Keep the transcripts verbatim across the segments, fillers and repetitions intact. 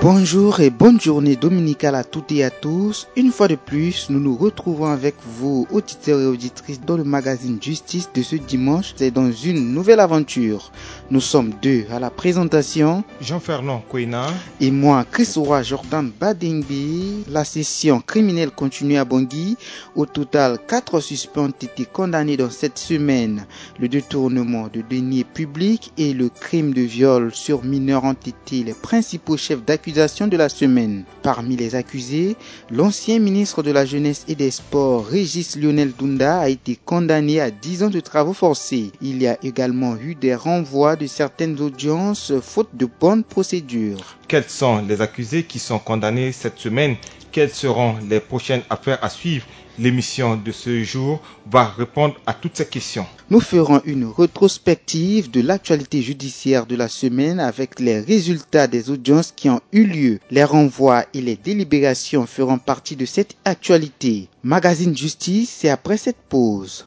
Bonjour et bonne journée dominicale à toutes et à tous. Une fois de plus, nous nous retrouvons avec vous, auditeurs et auditrices, dans le magazine Justice de ce dimanche. C'est dans une nouvelle aventure. Nous sommes deux à la présentation. Jean-Fernand Kouena. Et moi, Chris Roy Jordan Badengbe. La session criminelle continue à Bangui. Au total, quatre suspects ont été condamnés dans cette semaine. Le détournement de deniers publics et le crime de viol sur mineur ont été les principaux chefs d'accusation de la semaine. Parmi les accusés, l'ancien ministre de la Jeunesse et des Sports, Régis Lionel Dunda, a été condamné à dix ans de travaux forcés. Il y a également eu des renvois de certaines audiences faute de bonne procédure. Quels sont les accusés qui sont condamnés cette semaine ? Quelles seront les prochaines affaires à suivre ? L'émission de ce jour va répondre à toutes ces questions. Nous ferons une rétrospective de l'actualité judiciaire de la semaine avec les résultats des audiences qui ont eu lieu. Les renvois et les délibérations feront partie de cette actualité. Magazine Justice, c'est après cette pause.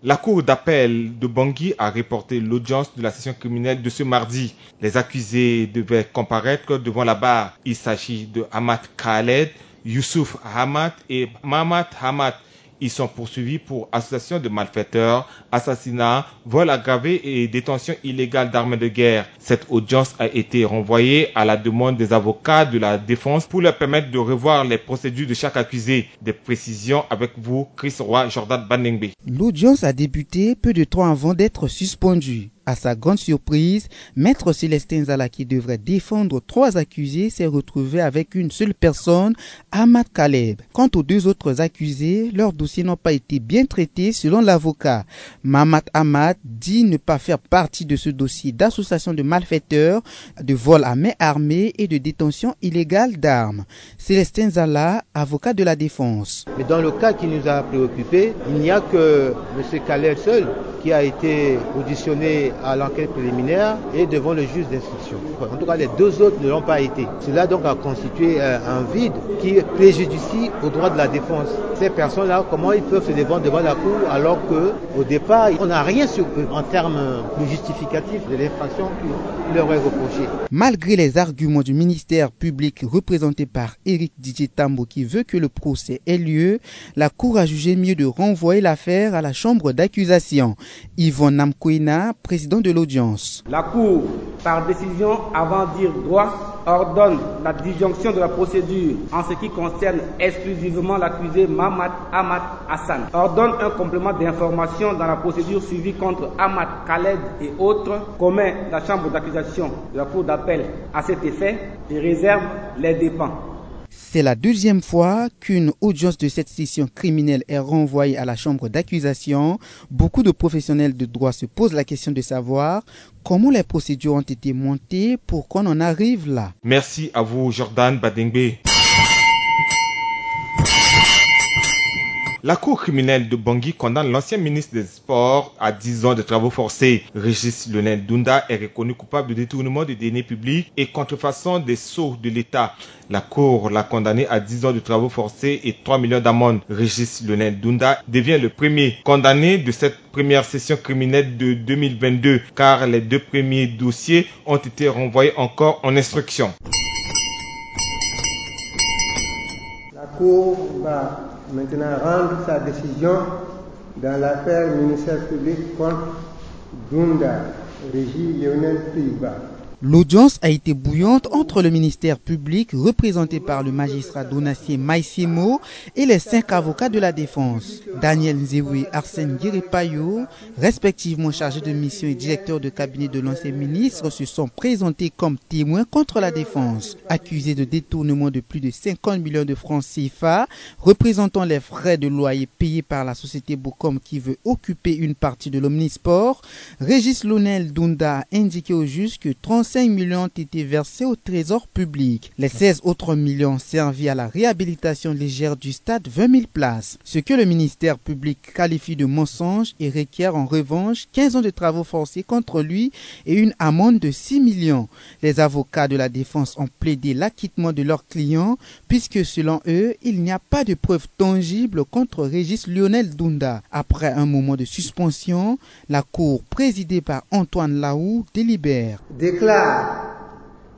La Cour d'appel de Bangui a reporté l'audience de la session criminelle de ce mardi. Les accusés devaient comparaître devant la barre. Il s'agit de Ahmad Khaled, Youssouf Ahmad et Mahamat Ahmad. Ils sont poursuivis pour association de malfaiteurs, assassinat, vol aggravé et détention illégale d'armes de guerre. Cette audience a été renvoyée à la demande des avocats de la défense pour leur permettre de revoir les procédures de chaque accusé. Des précisions avec vous, Chris Roy Jordan Banengbe. L'audience a débuté peu de temps avant d'être suspendue. À sa grande surprise, Maître Célestin Zala, qui devrait défendre trois accusés, s'est retrouvé avec une seule personne, Ahmad Kaleb. Quant aux deux autres accusés, leurs dossiers n'ont pas été bien traités selon l'avocat. Mahamat Ahmad dit ne pas faire partie de ce dossier d'association de malfaiteurs, de vol à main armée et de détention illégale d'armes. Célestin Zala, avocat de la défense. Mais dans le cas qui nous a préoccupés, il n'y a que monsieur Kaleb seul qui a été auditionné à l'enquête préliminaire et devant le juge d'instruction. En tout cas, les deux autres ne l'ont pas été. Cela donc a constitué, euh, un vide qui préjudicie aux droits de la défense. Ces personnes-là, comment ils peuvent se défendre devant la cour alors que, au départ, on n'a rien sur eux en termes de justificatif de l'infraction qui leur est reprochée ? Malgré les arguments du ministère public représenté par Éric Didier Tambo, qui veut que le procès ait lieu, la Cour a jugé mieux de renvoyer l'affaire à la chambre d'accusation. Yvon Namkwena, président de l'audience. La Cour, par décision avant dire droit, ordonne la disjonction de la procédure en ce qui concerne exclusivement l'accusé Mahamat Ahmad Hassan. Ordonne un complément d'information dans la procédure suivie contre Ahmad Khaled et autres, commet la chambre d'accusation de la Cour d'appel à cet effet et réserve les dépens. C'est la deuxième fois qu'une audience de cette session criminelle est renvoyée à la chambre d'accusation. Beaucoup de professionnels de droit se posent la question de savoir comment les procédures ont été montées pour qu'on en arrive là. Merci à vous, Jordan Badengbe. La Cour criminelle de Bangui condamne l'ancien ministre des Sports à dix ans de travaux forcés. Régis Lionel Dunda est reconnu coupable de détournement de deniers publics et contrefaçon des sceaux de l'État. La Cour l'a condamné à dix ans de travaux forcés et trois millions d'amende. Régis Lionel Dunda devient le premier condamné de cette première session criminelle de deux mille vingt-deux, car les deux premiers dossiers ont été renvoyés encore en instruction. La Cour va maintenant rendre sa décision dans l'affaire ministère public contre Dunda, Régis Lionel Tuiba. L'audience a été bouillante entre le ministère public, représenté par le magistrat Donatien Maïsimo, et les cinq avocats de la défense, Daniel Nzewe, Arsène Guiré-Payo, respectivement chargé de mission et directeur de cabinet de l'ancien ministre, se sont présentés comme témoins contre la défense. Accusés de détournement de plus de cinquante millions de francs C F A, représentant les frais de loyer payés par la société Bocom qui veut occuper une partie de l'Omnisport, Régis Lionel Dunda a indiqué au juge que cinq millions ont été versés au trésor public. Les seize autres millions servis à la réhabilitation légère du stade vingt mille places. Ce que le ministère public qualifie de mensonge et requiert en revanche quinze ans de travaux forcés contre lui et une amende de six millions. Les avocats de la défense ont plaidé l'acquittement de leur client puisque selon eux, il n'y a pas de preuves tangibles contre Régis Lionel Dunda. Après un moment de suspension, la cour présidée par Antoine Laou délibère. Déclare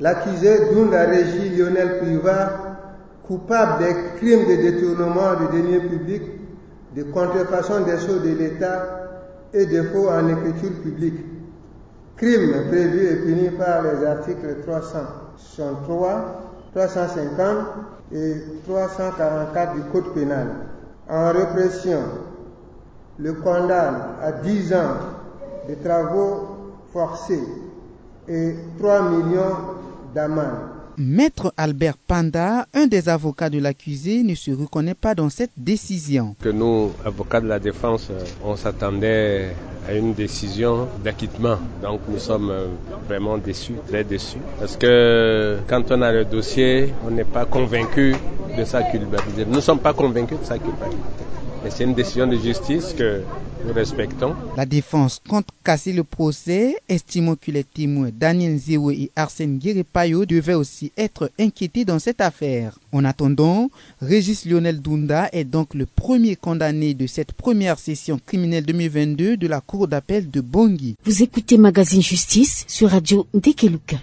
l'accusé Dunda Régis Lionel Privat coupable des crimes de détournement de deniers publics, de contrefaçon des sceaux de l'État et de faux en écriture publique. Crime prévu et puni par les articles trois cent soixante-trois, trois cent cinquante et trois cent quarante-quatre du Code pénal. En répression, le condamne à dix ans de travaux forcés et trois millions d'amende. Maître Albert Panda, un des avocats de l'accusé, ne se reconnaît pas dans cette décision. Que nous, avocats de la défense, euh, on s'attendait à une décision d'acquittement. Donc nous sommes, euh, vraiment déçus, très déçus. Parce que quand on a le dossier, on n'est pas convaincu de sa culpabilité. Nous ne sommes pas convaincus de sa culpabilité. Mais c'est une décision de justice que nous respectons. La défense compte casser le procès, estimant que les témoins Daniel Nzewe et Arsène Guérepayo devaient aussi être inquiétés dans cette affaire. En attendant, Régis Lionel Dunda est donc le premier condamné de cette première session criminelle deux mille vingt-deux de la Cour d'appel de Bangui. Vous écoutez Magazine Justice sur Radio Ndekeluka.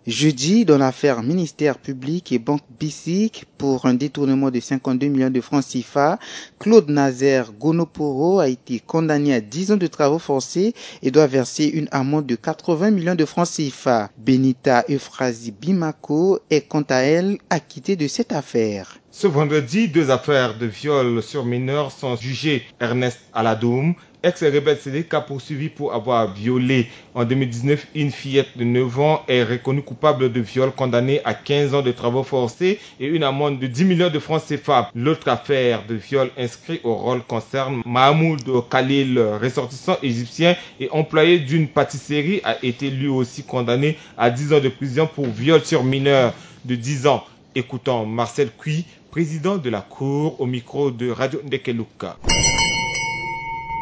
Jeudi, dans l'affaire ministère public et banque B I C pour un détournement de cinquante-deux millions de francs C F A, Claude Nazaire Gonoporo a été condamné à dix ans de travaux forcés et doit verser une amende de quatre-vingts millions de francs C F A. Benita Euphrasie Bimako est quant à elle acquittée de cette affaire. Ce vendredi, deux affaires de viol sur mineurs sont jugées. Ernest Aladoum, ex-rebelle Seleka poursuivi pour avoir violé en deux mille dix-neuf une fillette de neuf ans, est reconnu coupable de viol, condamné à quinze ans de travaux forcés et une amende de dix millions de francs C F A. L'autre affaire de viol inscrit au rôle concerne Mahmoud Khalil, ressortissant égyptien et employé d'une pâtisserie, a été lui aussi condamné à dix ans de prison pour viol sur mineur de dix ans. Écoutons Marcel Kui, président de la Cour, au micro de Radio Ndekeluka.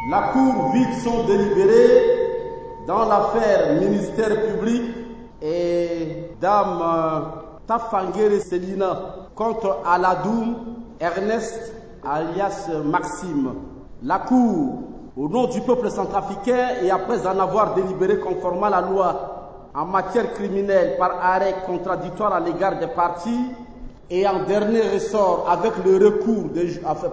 La Cour vide son délibéré dans l'affaire ministère public et dame, euh, Tafangere Selina contre Aladoum Ernest alias Maxime. La Cour, au nom du peuple centrafricain et après en avoir délibéré conformément à la loi en matière criminelle par arrêt contradictoire à l'égard des parties, et en dernier ressort, avec le recours des ju-, enfin,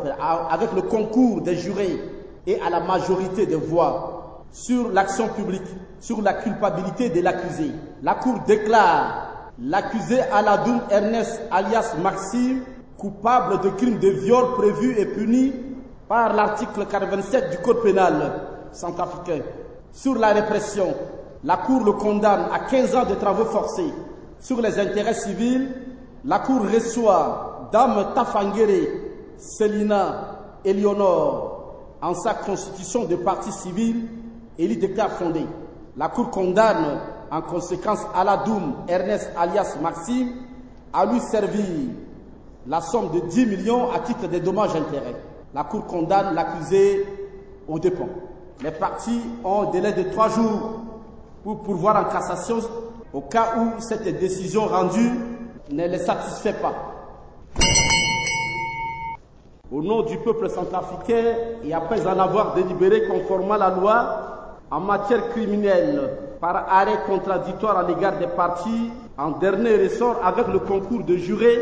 avec le concours des jurés et à la majorité des voix, sur l'action publique, sur la culpabilité de l'accusé, la Cour déclare l'accusé Aladoum Ernest alias Maxime coupable de crime de viol prévu et puni par l'article quatre-vingt-sept du Code pénal centrafricain. Sur la répression, la Cour le condamne à quinze ans de travaux forcés. Sur les intérêts civils, la Cour reçoit dame Tafangere Selina Eleonore en sa constitution de partie civile et lui déclare fondée. La Cour condamne en conséquence Aladoum Ernest alias Maxime à lui servir la somme de dix millions à titre de dommages-intérêts. La Cour condamne l'accusé aux dépens. Les parties ont un délai de trois jours pour pourvoir en cassation au cas où cette décision rendue ne les satisfait pas. Au nom du peuple centrafricain et après en avoir délibéré conformément à la loi en matière criminelle par arrêt contradictoire à l'égard des parties en dernier ressort avec le concours de jurés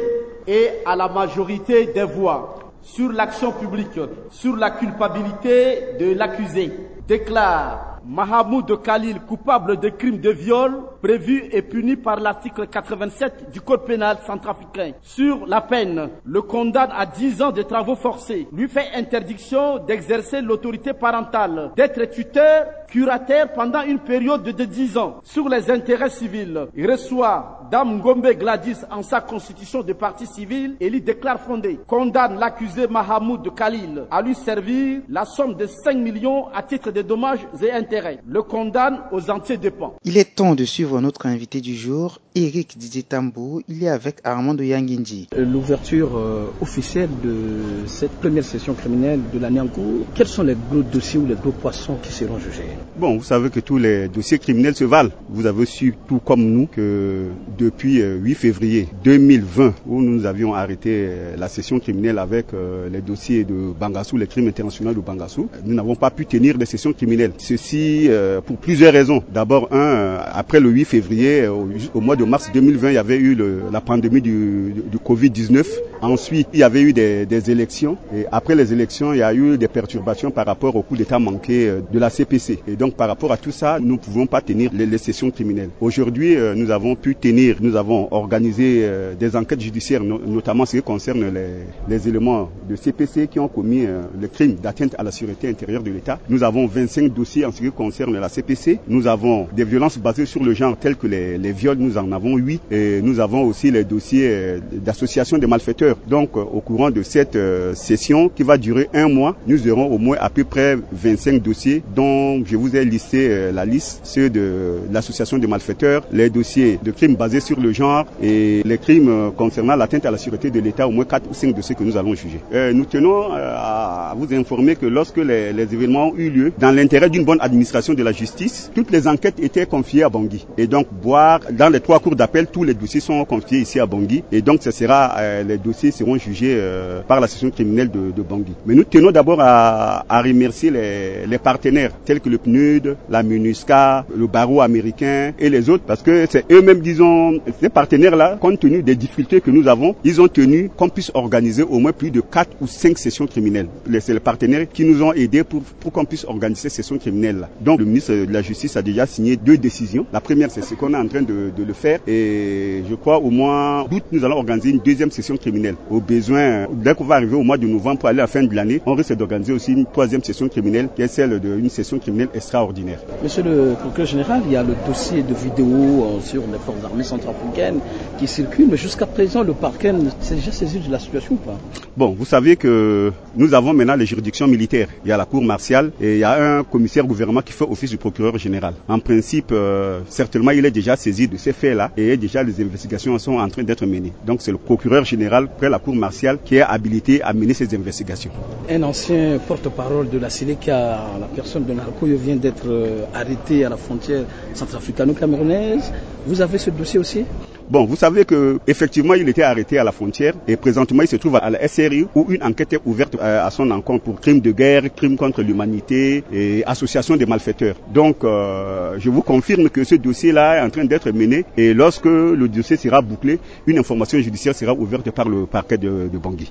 et à la majorité des voix, sur l'action publique, sur la culpabilité de l'accusé, déclare Mahamoud Khalil coupable de crime de viol prévu et puni par l'article quatre-vingt-sept du Code pénal centrafricain. Sur la peine, le condamne à dix ans de travaux forcés, lui fait interdiction d'exercer l'autorité parentale, d'être tuteur, curatelle pendant une période de dix ans. Sur les intérêts civils, il reçoit dame Ngombe Gladys en sa constitution de partie civile et lui déclare fondée. Condamne l'accusé Mahamoud Khalil à lui servir la somme de cinq millions à titre de Dommages et intérêts, le condamne aux entiers dépens. Il est temps de suivre notre invité du jour, Éric Didier Tambou. Il est avec Armando Yanginji. L'ouverture, euh, officielle de cette première session criminelle de l'année en cours, quels sont les gros dossiers ou les gros poissons qui seront jugés ? Bon, vous savez que tous les dossiers criminels se valent. Vous avez su, tout comme nous, que depuis, euh, huit février deux mille vingt, où nous avions arrêté, euh, la session criminelle avec, euh, les dossiers de Bangassou, les crimes internationaux de Bangassou, nous n'avons pas pu tenir de session criminelle. Ceci, euh, pour plusieurs raisons. D'abord, un, euh, après le huit février, euh, au, au mois de mars deux mille vingt, il y avait eu le, la pandémie du, du, du covid dix-neuf. Ensuite, il y avait eu des, des élections. Et après les élections, il y a eu des perturbations par rapport au coup d'État manqué, euh, de la C P C. Et donc, par rapport à tout ça, nous ne pouvons pas tenir les, les sessions criminelles. Aujourd'hui, euh, nous avons pu tenir, nous avons organisé, euh, des enquêtes judiciaires, no-, notamment ce qui concerne les, les éléments de C P C qui ont commis, euh, le crime d'atteinte à la sûreté intérieure de l'État. Nous avons vingt-cinq dossiers en ce qui concerne la C P C. Nous avons des violences basées sur le genre telles que les, les viols, nous en avons huit. Et nous avons aussi les dossiers, euh, d'association de malfaiteurs. Donc, euh, au courant de cette, euh, session qui va durer un mois, nous aurons au moins à peu près vingt-cinq dossiers dont je vous ai listé, euh, la liste, ceux de l'association de malfaiteurs, les dossiers de crimes basés sur le genre et les crimes, euh, concernant l'atteinte à la sûreté de l'État, au moins quatre ou cinq dossiers que nous allons juger. Euh, nous tenons, euh, à, à vous informer que lorsque les, les événements ont eu lieu, dans l'intérêt d'une bonne administration de la justice, toutes les enquêtes étaient confiées à Bangui. Et donc, voir dans les trois cours d'appel, tous les dossiers sont confiés ici à Bangui. Et donc, ce sera, euh, les dossiers seront jugés, euh, par la session criminelle de, de Bangui. Mais nous tenons d'abord à, à remercier les, les partenaires tels que le pnud, la MINUSCA, le barreau américain et les autres, parce que c'est eux-mêmes, disons, ces partenaires-là, compte tenu des difficultés que nous avons, ils ont tenu qu'on puisse organiser au moins plus de quatre ou cinq sessions criminelles. Les, c'est les partenaires qui nous ont aidés pour, pour qu'on puisse organiser ces sessions criminelles-là. Donc, le ministre de la Justice a déjà signé deux décisions. La première, c'est ce qu'on est en train de, de le faire. Et je crois au mois d'août, nous allons organiser une deuxième session criminelle. Au besoin, dès qu'on va arriver au mois de novembre pour aller à la fin de l'année, on risque d'organiser aussi une troisième session criminelle, qui est celle d'une session criminelle extraordinaire. Monsieur le procureur général, il y a le dossier de vidéo, euh, sur les forces armées centrafricaines qui circule, mais jusqu'à présent, le parquet ne s'est déjà saisi de la situation ou pas ? Bon, vous savez que nous avons maintenant les juridictions militaires. Il y a la cour martiale et il y a un commissaire gouvernement qui fait office du procureur général. En principe, euh, certainement, il est déjà saisi de ces faits-là et déjà les investigations sont en train d'être menées. Donc, c'est le procureur général près la cour martiale qui est habilité à mener ces investigations. Un ancien porte-parole de la Seleka, la personne de Narcoyo, vient d'être, euh, arrêté à la frontière centrafricano-camerounaise. Vous avez ce dossier aussi ? Bon, vous savez que effectivement, il était arrêté à la frontière et présentement, il se trouve à la S R I où une enquête est ouverte, euh, à son encontre pour crime de guerre, crime contre l'humanité et association de malfaiteurs. Donc, euh, je vous confirme que ce dossier-là est en train d'être mené et lorsque le dossier sera bouclé, une information judiciaire sera ouverte par le parquet de, de Bangui.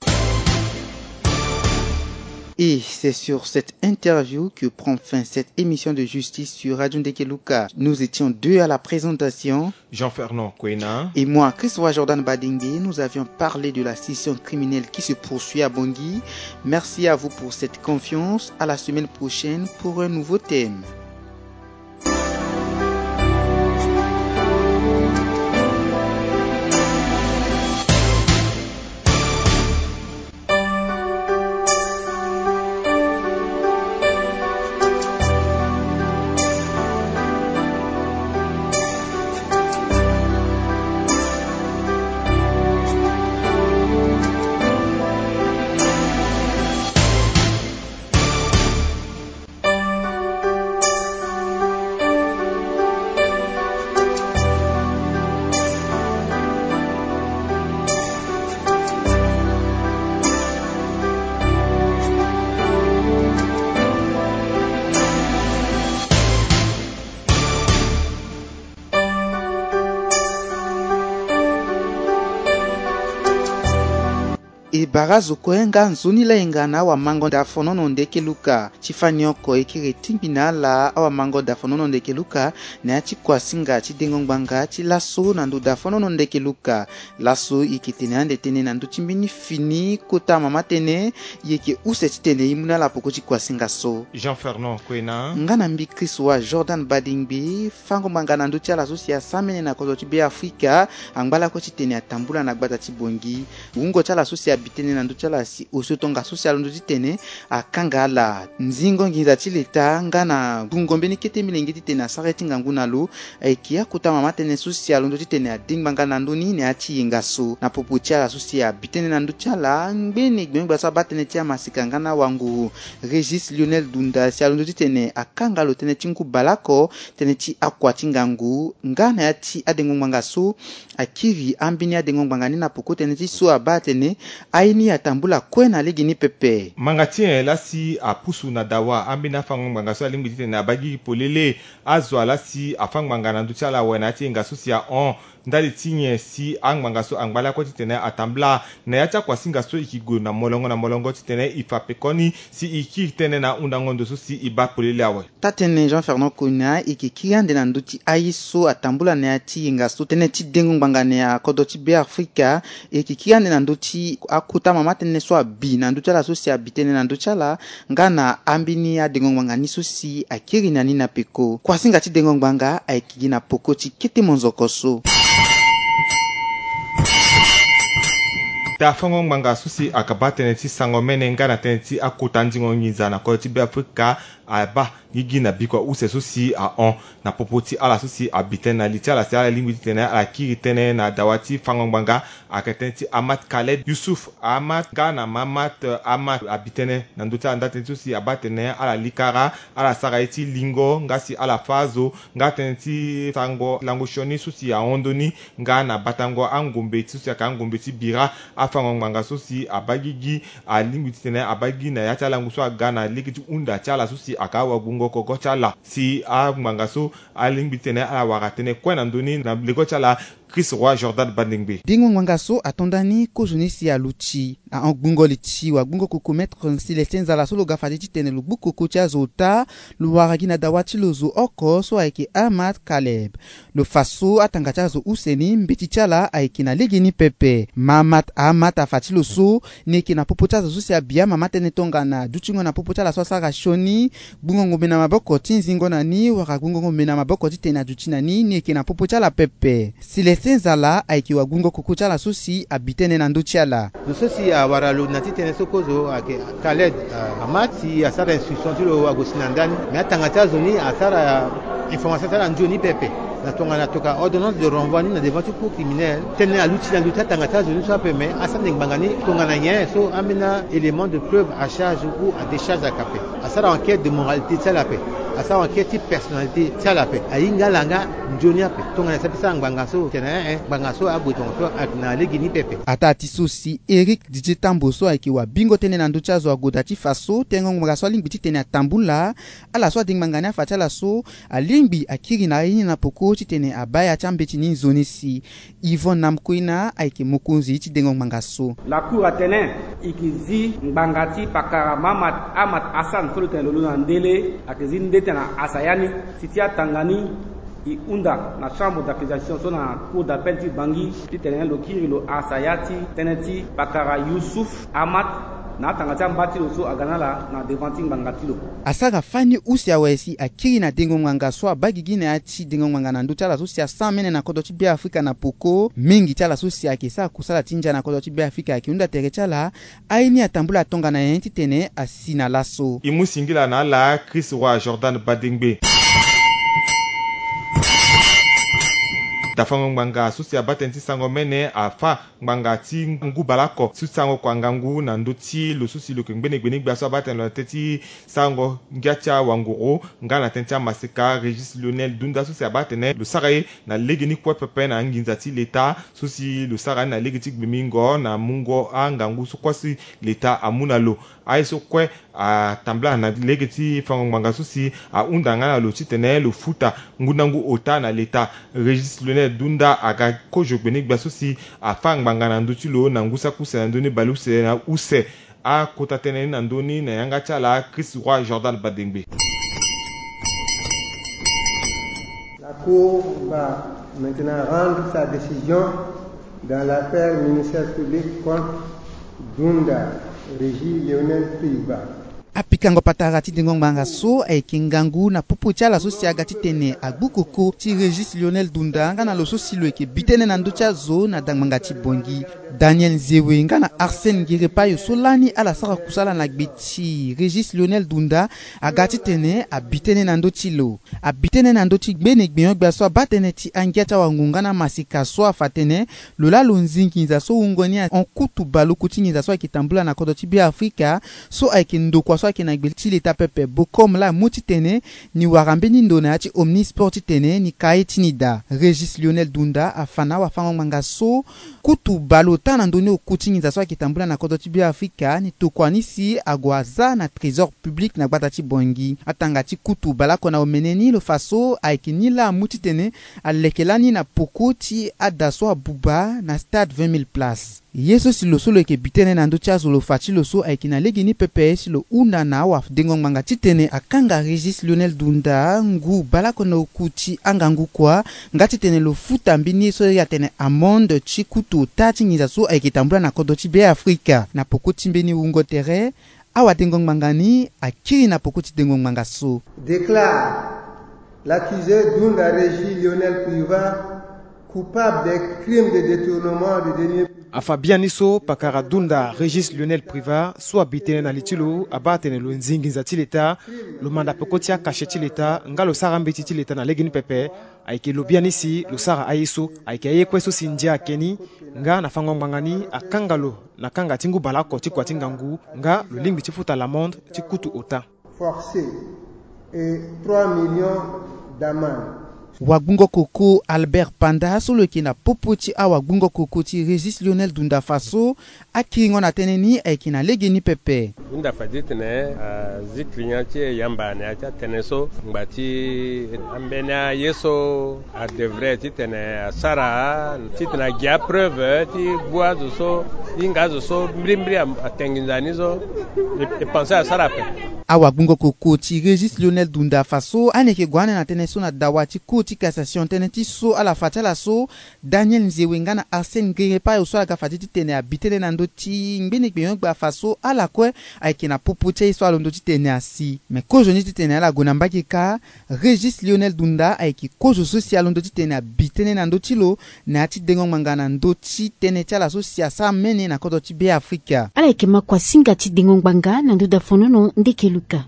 Et c'est sur cette interview que prend fin cette émission de justice sur Radio Ndekeluka. Nous étions deux à la présentation. Jean-Fernand Kwena. Et moi, Christopher Jordan Badingbe, nous avions parlé de la scission criminelle qui se poursuit à Bangui. Merci à vous pour cette confiance. À la semaine prochaine pour un nouveau thème. E bara zo kue nga nzoni layenga na awamango dafonono ndeke luka. Ti fani oko e kiri tingbi na ala awamango dafonono ndeke luka na ya ti kuasinga ti dengo ngbanga ti laso na ndo dafonono ndeke luka. Laso e yeke tene ande tënë na ndö ti mbeni fini kota mama tënë. E yeke use titene e mu na ala peko ti kuasinga so. Jean Fernand Kwena. Nga na mbi Christ wa Jordan Badingbi. Fango ngbanga na ndö ti ala so si asambene na kodro ti Beafrika angba lakue titene atambula na gbata ti Bangui. Wungo ti ala so si abi tënë Tënë na ndö ti ala si osio tongaso si alondo titene akanga ala. Nzingo nginza ti leta nga na ngu ngombe ni kete milenge titene asara ye ti ngangu na lo, ayeke akota mama tënë so si alondo titene ade ngbanga na ndö ni na ya ti yenga so. Na popo ti ala so si abi tënë na ndö ti ala, ngbene gbengbe so abaa tënë ti amaseka nga na wanguru, Régis Lionel Dunda, si alondo titene akanga lo tënë ti ngu baleoko, tënë ti akua ti ngangu nga na ya ti adengo ngbanga so akiri ambeni adengo ngbanga ni na peko tënë ti so abaa atene aye ni atambula kue na lege ni pepe. Ngbanga ti nyen laa si apusu na dawa ambeni afango ngbanga so alingbi titene abaa gigi polele? Azo laa si afa ngbanga na ndö ti ala awe na ya ti yenga so si ahon? Ndali ti nyen si angbanga so angba lakue titene atambula na ya ti akuasinga so e ke gue na molongo na molongo titene e fa pekoni si e kiri tënë na hundango ndo so si e baa polele awe? Taa-tënë Jean Fernand Kona, e yeke kiri ande na ndö ti aye so atambula na ya ti yenga so tënë ti dengo ngbanga na ya kodro ti Beafrika. E yeke kiri ande na ndö ti akota mama tënë so abi na ndö ti ala so si abi tënë na ndö ti ala nga na ambeni adengo ngbanga ni so si akiri na ni na peko. Kuasinga ti dengo ngbanga ayeke gi na peko ti kete monzoko so. Daa fango ngbanga so si akabaa tënë ti sango mene nga na tënë ti akota ndingo nginza na kodro ti Beafrika abaa gigi na bikua use so si ahon na popo ti ala so si abi tënë na li ti ala si ala lingbi titene ala kiri tënë na dawa ti fango ngbanga. Ayeke tënë ti Ahmad Khaled Youssouf Ahmad nga na Mahamat Ahmad abi tënë na ndö ti ala nda tënë ti so si abaa tene ala likara, ala sara ye ti lingo nga si ala fâ azo, nga tënë ti sango lango sioni so si ahon ndoni nga na batango angombe ti so si ayeke angombe ti bira. Afango ngbanga so si abaa gigi alingbi titene abaa gigi na ya ti alango so aga na lege ti hunda ti ala so si ayeke awagbungo koko ti ala si angbanga so alingbi titene ala wara tënë kue na ndö ni na lego ti ala. Chris Roy Jordan Bandengbe. Dengo ngbanga so ato nda ni kozoni si aluti na hon gbungo li ti wagbungo koko Maître Célestin Nzala so lo ga fade titene lo gbu koko ti azo ota, lo wara gi na dawa ti lo zo oko so ayeke Ahmad Kaleb. Lo fa so atanga ti azo use ni mbeti ti ala ayeke na legeni pepe. Mahamat Ahmad afa ti lo so ni yeke na popo ti azo so si abi amama tënë tongana dutingo na popo ti ala so asara sioni, gbungo ngombe na maboko ti nzingo na ni wala gbungo ngombe na maboko titene aduti na ni, ni yeke na popo ti ala pepe. Célestin Nzala ayeke wagbungo koko ti ala so si abi tënë na ndö ti ala. Zo so si awara lo na ti tënë so kozo ayeke Khaled, ah, Ahmad si asara instruction ti lo ague si na ndani. Me atanga ti azo ni asara information ti ala nzoni pepe na tongana tokua ordonnance de renvoi ni na devant ti cour criminelle. Tënë aluti na ndö ti atanga ti azo ni so ape, me asara nde ngbanga ni tongana nyen so ambeni a-élément de preuve à charge ou à décharge ayeke ape. Asara enquête de moralité ti ala ape. Asara enquête ti personnalité ti ala ape. Ahinga ala nga nzoni ape tongana e sara ti sara ngbanga so tene eh eh ngbanga so ague tongaso ayeke na lege ni pepe. Ataa ti so si Éric Didier Tambo so ayeke wabingo tënë na ndö ti azo agoda ti fa so tengo ngbanga so alingbi titene atambula. Ala so ade ngbanga ni afa ti ala so alingbi akiri na aye ni na peko titene abaa ya ti ambeti ni nzoni si. Yvonne Namkoina ayeke mokonzi ti dengo ngbanga so. La cour atene e yeke zi ngbanga ti pakara Mahamat Ahmad Hassan so lo tene lo lo na ndele, ayeke zi nde tene na asa ya ni. Si ti atanga ni e hunda na chambre d'accusation so na cour d'appel ti Bangui titene lo kiri lo asa ya ti tënë ti pakara Youssouf Ahmad na atanga ti amba ti lo so aga na ala na devant ti ngbanga ti lo. Asara fani use awe si akiri na dengo ngbanga so abaa gigi na ya ti dengo ngbanga na ndö ti ala so si asara mene na kodro ti Beafrika na peko. Mingi ti ala so si ayeke sara kusala ti ndia na kodro ti Beafrika ayeke hunda tere ti ala. Aye ni atambula tongana nyen titene asi na laso? E mu singila na ala Chris Roy Jordan Badengbe. Dafango ngbanga so si abaa tënë ti sango mene afa ngbanga ti ngu baleoko so ti sango kua ngangu na ndö ti lo so si lo yeke ngbene gbene gbia so abaa tene lo na tënë ti sango ngia ti awanguru nga na tënë ti amaseka Régis Lionel Dunda so si abaa tene lo sara ye na legeni kue pepe na anginza ti leta so si lo sara ni na lege ti gbimingo na mungo angangu so kue si leta amu na lo. Aye so kue atambula na lege ti fango ngbanga so si ahunda nga na lo titene lo futa ngundangu ota na leta. Régis Lionel Dunda aga kozo gbene gbia so si afa ngbanga na ndö ti lo na ngu saki use na ndö ni bale use na use. Akota tënë ni na ndö ni na yanga ti ala Chris Roy Jordan Badengbe. La Cour va maintenant rendre sa décision dans l'affaire ministère public contre Dunda Régis Lionel Tuiba. Kango patara ti dengo ngbanga so ayeke ngangu na popo ti ala so si aga titene agbu koko ti Régis Lionel Dunda nga na lo so si lo yeke bi tënë na ndö ti azo na dangbanga ti Bangui. Daniel Nzewe nga na Arsène Ngerepayo so lani ala sara kusala na gbe ti Régis Lionel Dunda aga titene abi tënë na ndö ti lo. Abi tënë na ndö ti gbene gbenyo-gbia so abaa tënë ti angia ti awango nga na masika so afa tënë lo laa lo nzi nginza so wungo ni ahon kutu baleoko ti nginza so ayeke tambula na kodro ti Beafrika so ayeke ndokua so ayeke na gbe ti leta pepe. Bokom laa amu titene ni wara mbeni ndo na ya ti Omnisport titene ni ka ye ti ni daa. Régis Lionel Dunda afa na awafango-ngbanga so kutu baleota na ndö ni oku ti nginza so ayeke tambula na kodro ti Beafrika ni tokua ni si ague aza na trésor public na gbata ti Bangui. Atanga ti kutu baleoko na omene ni lo fa so ayeke ni laa amu titene aleke lani na poko ti ada so abuba na stade vingt mille places. Ye so si lo so lo yeke bi tënë na ndö ti azo lo fa ti lo so ayeke na lege ni pepe si lo hunda na awadengo ngbanga titene akanga Régis Lionel Dunda ngu baleoko na oku ti angangu kua nga titene lo futa mbeni ye so e atene amende ti kutu ota ti nginza so ayeke tambula na kodro ti Beafrika. Na poko ti mbeni wungo tere, awadengo ngbanga ni akiri na poko ti dengo ngbanga so. Déclare l'accusé Dunda Régis Lionel Privat coupable des crimes de détournement de deniers publics. Afa biani so pakara Dunda Régis Lionel Privat so abi tënë na li ti lo abaa atene lo nzi nginza ti leta, lo manda peko ti akache ti leta nga lo sara mbeti ti leta na lege ni pepe. Ayeke lo biani si lo sara aye so ayeke aye kue so si ndia ayeke ni. Nga na fango ngbanga ni akanga lo na kanga ti ngu baleoko ti kua ti ngangu nga lo lingbi ti futa l'amende ti kutu ota. Forcé et trois millions d'amende. Wagbungo koko Albert Panda so lo yeke na popo ti awagbungo koko ti Régis Lionel Dunda fa so akiringo na tënë ni ayeke na lege ni pepe. Hunda fa ti tene azi client ti e yamba na ya ti atënë so ngba ti ambeni aye so adevrait titene asara titene agi apreuve ti gbu azo so, hinga azo so mbirimbiri a- atene nginza ni so e, e pense asara ape. Awagbungo koko ti Régis Lionel Dunda fa so ani yeke gue ane na tënë so na dawa ti cour ti cassation tënë ti so ala fa ti ala so Daniel Nzewe nga na Arsène Ngerepayo so aga fa ti titene abi tënë na ndö ti ngbene gbenyo-gbia fa so ala kue ayeke na popo ti aye so alondo titene asi. Me kozoni titene ala gue na mbage kâ, Régis Lionel Dunda ayeke kozo so si alondo titene abi tënë na ndö ti lo na ya ti dengo ngbanga na ndö ti tënë ti ala so si asara mene na kodro ti Beafrika. Ala yeke ma kua singa ti dengo ngbanga na ndö dafonono ndeke luka.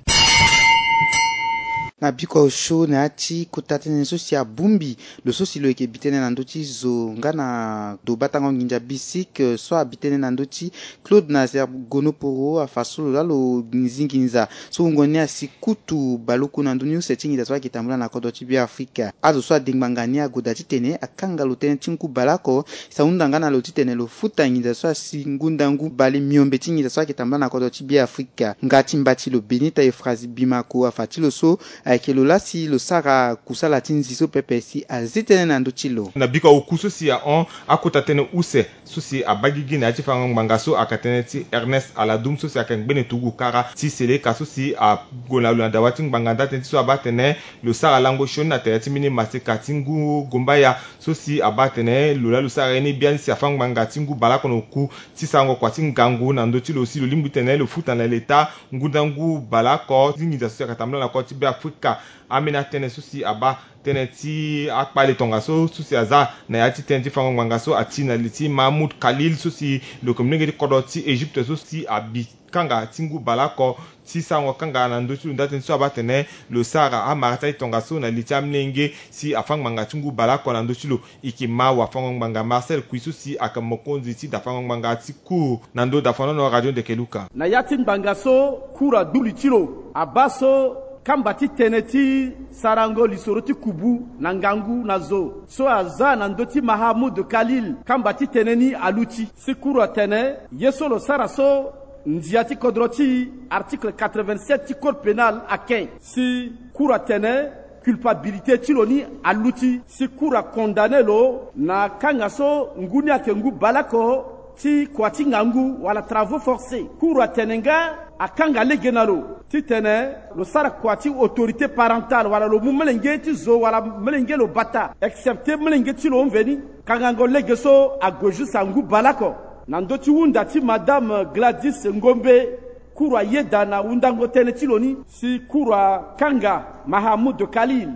Na bikua osio na ya ti kota tënë so si abongbi lo so si lo yeke bi tënë na ndö ti zo nga na ndo batango nginza bisik so abi tënë na ndö ti Claude Nazaire Gonoporo afa so lo laa lo nzi nginza so wungo ni asi kutu baleoko na ndö ni use ti nginza so ayeke tambula na kodro ti Beafrika. Azo so ade ngbanga ni ague daa titene akanga lo tënë ti ngu baleoko si ahunda nga na lo titene lo futa nginza so asi ngundangu bale miombe ti nginza so ayeke tambula na kodro ti Beafrika. Nga ti mba ti lo Benita Euphrasie Bimako afa ti lo so ayeke lo laa si lo sara kusala ti nzi so pepe si azi tënë na ndö ti lo. Na bikua oku so si ahon akota tënë use so si abaa gigi na ya ti fango ngbanga so ayeke tënë ti Ernest Aladum so si ayeke ngbene turugu kara ti Seleka so si ague na lo na dawa ti ngbanga nda tënë ti so abaa atene lo sara lango sioni na tere ti mbeni maseka ti ngu gombaya so si abaa atene lo laa lo sara ye ni biani si afa ngbanga ti ngu baleoko na oku ti sarango kua ti ngangu na ndö ti lo si lo lingbi titene lo futa na leta ngundangu baleoko ti nginza so si ayeke tambula na kodro ti Beafrika. Ambeni atënë so si abaa tënë ti akpale tongaso so si aza na ya ti tënë ti fango ngbanga so ati na li ti Mahmoud Khalil so si lo yeke molenge ti kodro ti Egypte so si abi kanga ti ngu baleoko ti sarango kanga na ndö ti lo nda tënë so abaa atene lo sara amara ti aye tongaso na li ti amolenge si afa ngbanga ti ngu baleoko na ndö ti lo. E yeke ma wafango ngbanga Marcel Kui so si ayeke mokonzi ti dafango ngbanga ti cour na ndö dafangono radio ndeke luka. Na ya ti ngbanga so cour agbu li ti lo abaa so kamba ti tënë ti sarango lisoro ti kubu na ngangu na zo so aza na ndö ti Mahamoud Khalil kamba ti tënë ni aluti. Si cour atene ye so lo sara so ndia ti kodro ti article quatre-vingt-sept ti code pénal aken. Si cour atene culpabilité ti lo ni aluti. Si cour acondamné lo na kanga so ngu ni ayeke ngu baleoko ti kua ti ngangu wala travaux forcés. Cour atene nga akanga lege na lo titene lo sara kua ti autorité parentale wala lo mu molenge ti zo wala molenge lo bata, excepté molenge ti lo mveni. Kangango lege so ague juste angu baleoko. Na ndö ti hunda ti Madame Gladys Ngombe, Kuru ayeda na wundango tënë ti lo ni si kuru akanga Mahamoud Khalil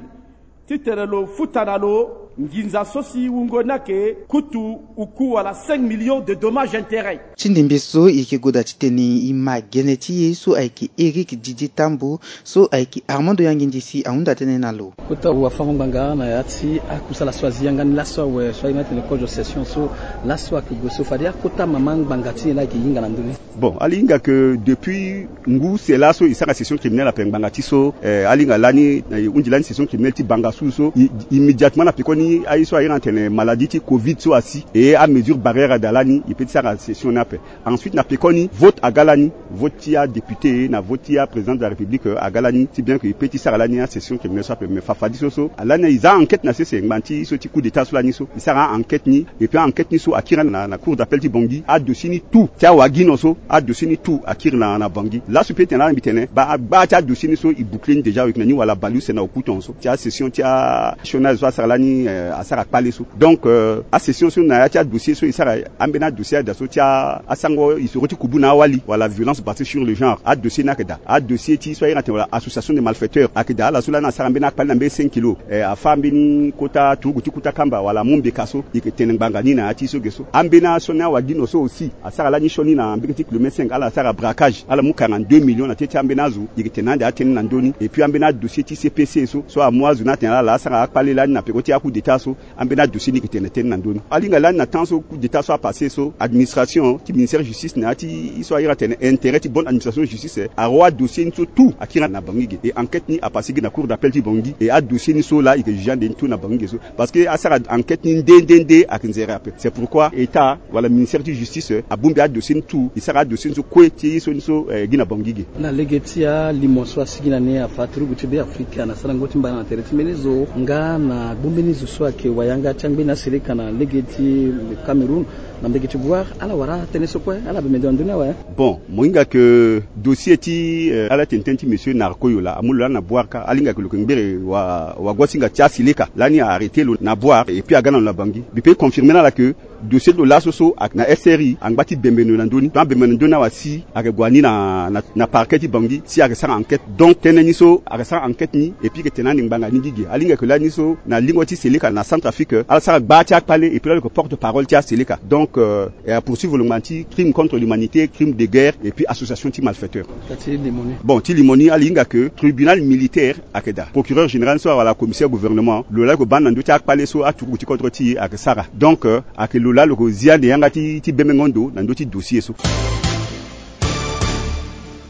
titene lo futa na lo nginza so si wungo ni ayeke kutu uku wala cinq millions de dommages intérêts. Ti ndembe so e yeke goda titene e ma gene ti e so ayeke Éric Didier Tambo so ayeke Armando Yangindi si ahunda tënë na lo. Kota wafango ngbanga na ya ti akusala so azi yanga ni laso awe so aye ni atene kozo session so laso ayeke gue so fade akota mama ngbanga ti e la ayeke hinga na ndö ni. Bon, ala hinga ke depuis ngu se laso e sara session criminelle ape ngbanga ti so, eh, ala hinga lani, eh, e hunzi lani session criminelle ti banga su so i- immédiatement na pekoni aye so aye na tene maladie ti covid so asi e amesure barrière ada lani e pe ti sara session ni ape. Ensuite na pekoni vote aga lani, vote ti adéputé na vote ti aprésident de la république, eh, aga lani ti bien ke e pe ti sara lani asession criminelle so ape. Mais fafadi so so alani e za enquête na sese ngba ti so ti coup d'état so lani so e sara enquête ni. Et puis enquête ni so akiri na, na cour d'appel ti Bangui. Adossier ni tout ti awagino so, adossier ni tout akiri na, na Bangui. Laso mbi tene lani mbi tene ba agba ti adossier ni so e boucler ni déjà avec na ni wala baleuse na okuton so ti asession ti achômage so asara lani, eh, asara kpale so. Donc, euh, asession so na ya ti adossier so e sara ambeni adossier ada so ti a- asango isoro ti kubu na awali wala violence basée sur le genre, adossier ni ayeke daa. Adossier ti so aye na tene wala association de malfaiteurs ayeke daa. Ala so lani asara ambeni akpale na mbeni cinq kilo, eh, afa mbeni kota turugu ti kuta kamba wala amu mbeka so e yeke tene ngbanga ni na ya ti so ge so. Ambeni asioni awagino so aussi asara lani sioni na mbege ti kilomètre cinq, ala asara braquage, ala mu quarante-deux millions na teti ambeni azo. E yeke tene ande atënë na ndö ni. Et puis ambeni adossier ti C P C so, so amu azo ni atene ala asara akpale lani na peko ti a coup d'état so, ambeni adossier ni yeke tene tënë na ndö ni. Ala hinga lani na temps so coup d'état so apassé so, administration ti ministère justice na ya ti so aye na tene intérêt ti bonne administration justice, eh, aroa adossier ni so tout akiri na Bangui ge. Et enquête ni apassé gi na cour d'appel ti Bangui. Et adossier ni so laa e yeke juger ande ni tout na Bangui ge so. Parce que asara enquête ni nde nde nde ayeke nzere ape. C'est pourquoi état wala ministère ti justice, eh, abongbi adossier ni tout, e sara adossier ni so kue ti ye so ni so, eh, gi na Bangui ge. Na lege ti alimo so asigi na ni afa turugu ti Beafrika na sarango ti mbana na tere ti mbeni zo nga na gbu mbeni zo so ayeke wayanga ti angbeni aseleka na lege ti Cameroun na mbege ti Bouar, ala wara tënë so kue, ala bembe ndo na ndö ni awe. Bon, mo hinga ke dossier ti, eh, ala tene tënë ti monsieur Narco Yola amu lo lani na Bouar kâ, ala hinga ke lo yeke ngbere wa- wagosinga ti aseleka lani a arrêté lo na Bouar et puis aga na lo na Bangui. Mbi pe confirmer na ala ke dossier ti lo laso so ayeke na S R I, angba ti bembe ndo na ndö ni. Tant abembe na ndö ni awe asi, ayeke gue ni na, na, na parquet ti Bangui si ayeke sara enquête. Donc tënë ni so ayeke sara enquête ni et puis e yeke tene ande ngbanga ni gi ge. Ala hinga ke lani so na lingo ti seleka na Centrafrique, ala sara gba ti akpale et puis lani lo yeke porte parole ti aseleka. Donc, euh, e apoursuivre lo ngbanga ti crime contre l'humanité, crime de guerre et puis association ti malfaiteurs. Ka ti limo ni. Bon, ti limo ni ala hinga ke tribunal militaire ayeke daa. Procureur général so wala commissaire gouvernement, lo laa lo yeke baa ni na ndö ti akpale so aturugu ti kodro ti e ayeke sara. Donc, euh, ayeke lo laa lo yeke zi ande yanga ti, ti bembengo ndo na ndö ti dossier so.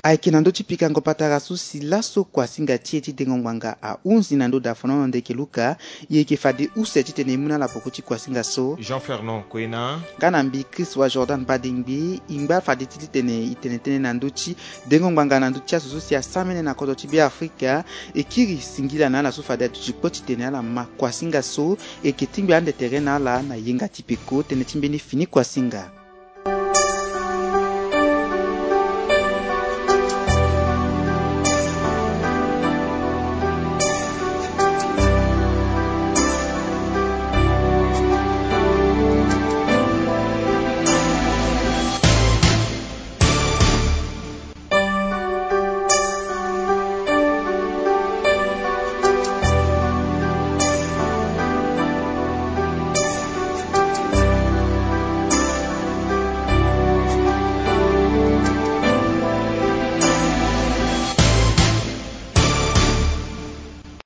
Ayeke na ndö ti pikango patara so si laso kuasinga ti e ti dengo ngbanga ahunzi na ndö daa. Fano na ndeke luka, e yeke fade use titene e mu na ala poko ti kuasinga so. Jean Fernand Koena. Nga na mbi Christ wa Jordan Badengbi, e ngba fade ti titene e tene tënë na ndö ti dengo ngbanga na ndö ti azo so si asamene na kodro ti Beafrika. E kiri singila na ala so fade aduti kpo titene ala ma kuasinga so. E yeke tingbi ande tere na ala na yenga ti peko. Tënë ti mbeni fini kuasinga.